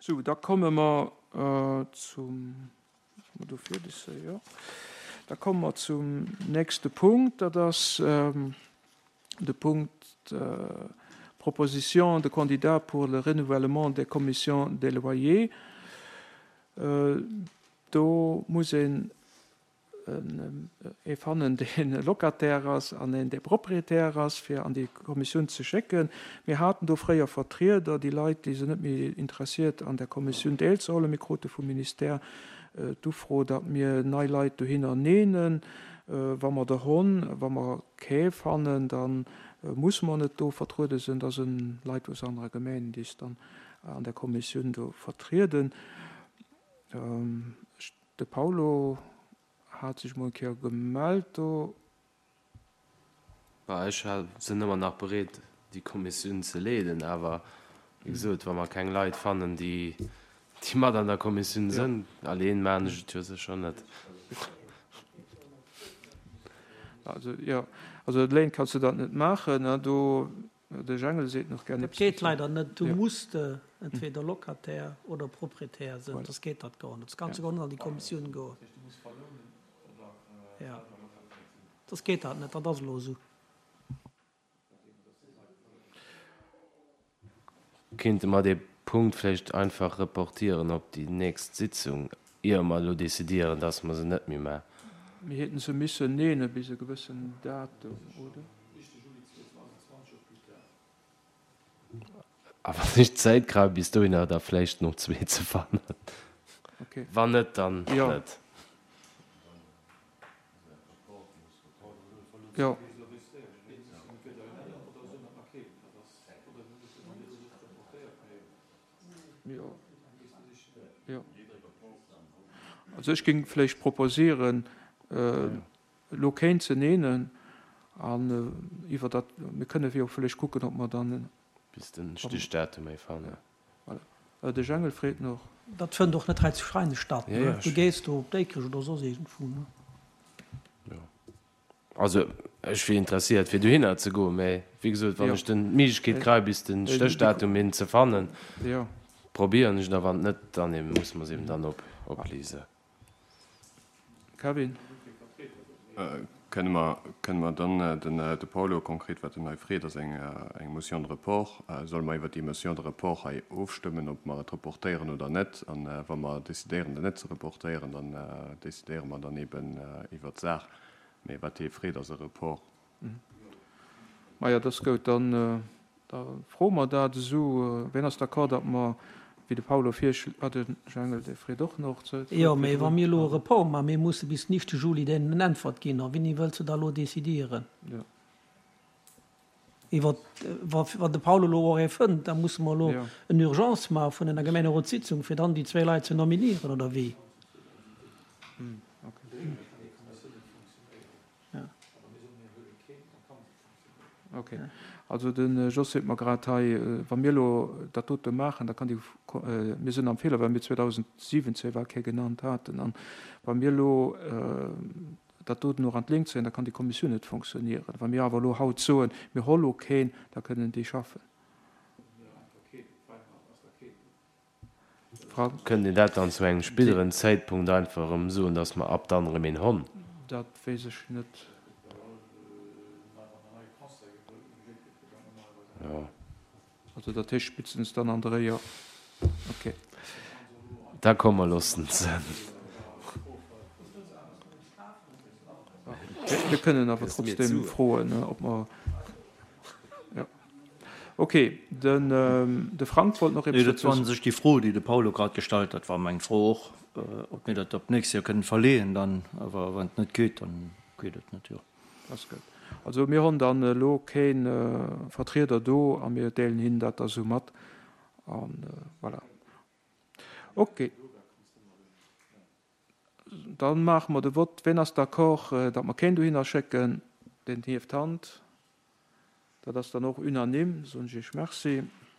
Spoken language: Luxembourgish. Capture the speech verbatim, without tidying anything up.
Sou, da komme mer zum, mer do fir dës, jo. Da komme mer zum nächste Punkt, dat ass de Punkt Proposition de candidats pour le renouvellement des commissions des loyers. Do muss een ee fannen, dee Locataire ass an een, dee Propriétaire ass, fir an déi Kommissioun ze schécken. Mir haten do fréier Vertrieder, déi Leit, déi sinn net méi interessiert, an der Kommissioun deelzehuelen. Mir krute vum Ministère d'Ufro, datt mir nei Leit dohinner neenen. Wa mer der honn, wa mer kee fannen, da musse mer net do vertruede sinn. Da sinn Leit aus anere Gemengen, déi s dann an der Kommissioun do vertrieden. De Paulo hat sech mol eng Kéier gemellt do. Bah, ech sinn ëmmer nach bereet, déi Kommissioun ze leeden, awer wéi gesot, wa mer keng Leit fannen, déi déi mat an der Kommissioun sinn, alleen maachen ech et jo sécher net. Also, jo, also alleen kanns de dat net maachen, ne, do, de Jengel seet nach gär Dat eppes geet dozou. leider net. Du Jo. muss de entweder Locataire oder Proprietär sinn, Voilà. soss geet dat gar net. Soss kanns Ja. du gar net an déi Kommissioun goen. Jo, soss geet dat net. Dat ass elo esou. Kéinte mer dee Punkt vläicht einfach reportieren op déi nächst Sitzung, ier mer elo décidieren, dass mer se net méi maachen? Mir hätten se missen neene bis e gewëssen Datum, oder? A wann ech Zäit kréien bis dohinner, da vläicht nach zwee ze fannen. Okay. Wann net, dann Jo. net. Jo. Jo. Jo. Also ech géing vläicht proposieren, elo kéint ze neenen an iwwer dat, mir kënne jo vläicht kucken, ob mer dann. Bis den Stichdatum méi fannen. Voilà. De Jengel freet nach. Dat fënnt och net hei zu Schreineg statt, Ja, ne? ja, Du ech. gees do op Déikrech oder soss iergendwou, ne? Jo. Also ech wier interesséiert fir dohinner ze goen, mä wéi gesot, wann Jo. ech den d'Méiglechkeet kréie bis den Stéchdatum hin ze fannen, Jo. probéieren ech et, a wann net, dann eben musse mer se eben dann op oplise. Kevin. Kënne mer, kënne mer dann den, de Paulo konkret, wat en hei freet, ass eng, eng Motion de report. Solle mer iwwert déi Motion de report hei ofstëmmen, ob mer et reportéieren oder net? An wa mer décidéieren, et net ze reportéieren, dann décidéiere mer dann eben iwwert d'Saach. Mee wat hie freet, ass e Report. Maja, dat ass goud. Dann da froe mer dat esou. Wien ass d'accord, datt mer, wéi de Paulo virschl-, ah, de Jangel, dee freet och nach ze Jo, mee wa mir elo e Report maachen, mir musse bis den éischte Juli deenen en Äntwert ginn. A wéini wëlls de da elo decidieren? Jo. Iwwer, wa, wann de Paulo elo och ee fënnt, da musse mer elo Jo. en Urgence maache vun enger Gemengerotssitzung, fir dann déi zwee Leit ze nominieren, oder wéi? Okay. Okay. Also de Jos seet mer grad hei, wa mir elo dat dote maachen, da kann déi, mir sinn am Feeler, well mir zweedausendsiwwenzéng war kee genannt haten, an wa mir elo dat doten och an d'Link zéien, da kann déi Kommissioun net fonctionnieren. Wa mir awer elo haut soen, mir hollo keen, da kënnen déi schaffen. Frank? Kënnt een dat dann zu engem spéideren Zäitpunkt einfach erëm soen, dass mer ab dann erëm een honn? Dat weess ech net. Jo. Also dat heescht spéitstens dann an der Réier. Okay. Da komm mer loossen se. Mir kënnen awer Gëss mir trotzdem d'Suen. froen, ob mer, jo. Okay, den, de Frank wollt nach Nee, eppes dat dozou war un sech déi Fro, déi de Paulo grad gestallt hat, war meng Fro och, ob mir dat op d'nächst Joer kënnen verleeën dann. Awer wann et net geet, dann geet et net, jo. Ass gutt. Also mir hunn dann elo kee Vertrieder do a mir deelen hinnen dat da sou mat. A voilà. Okay. Dann maache mer de Vott. Wien ass d'accord, datt mer keen dohinner schécken? Deen hieft d'Hand. Dat ass dann och unanime. Soen ech Iech Merci.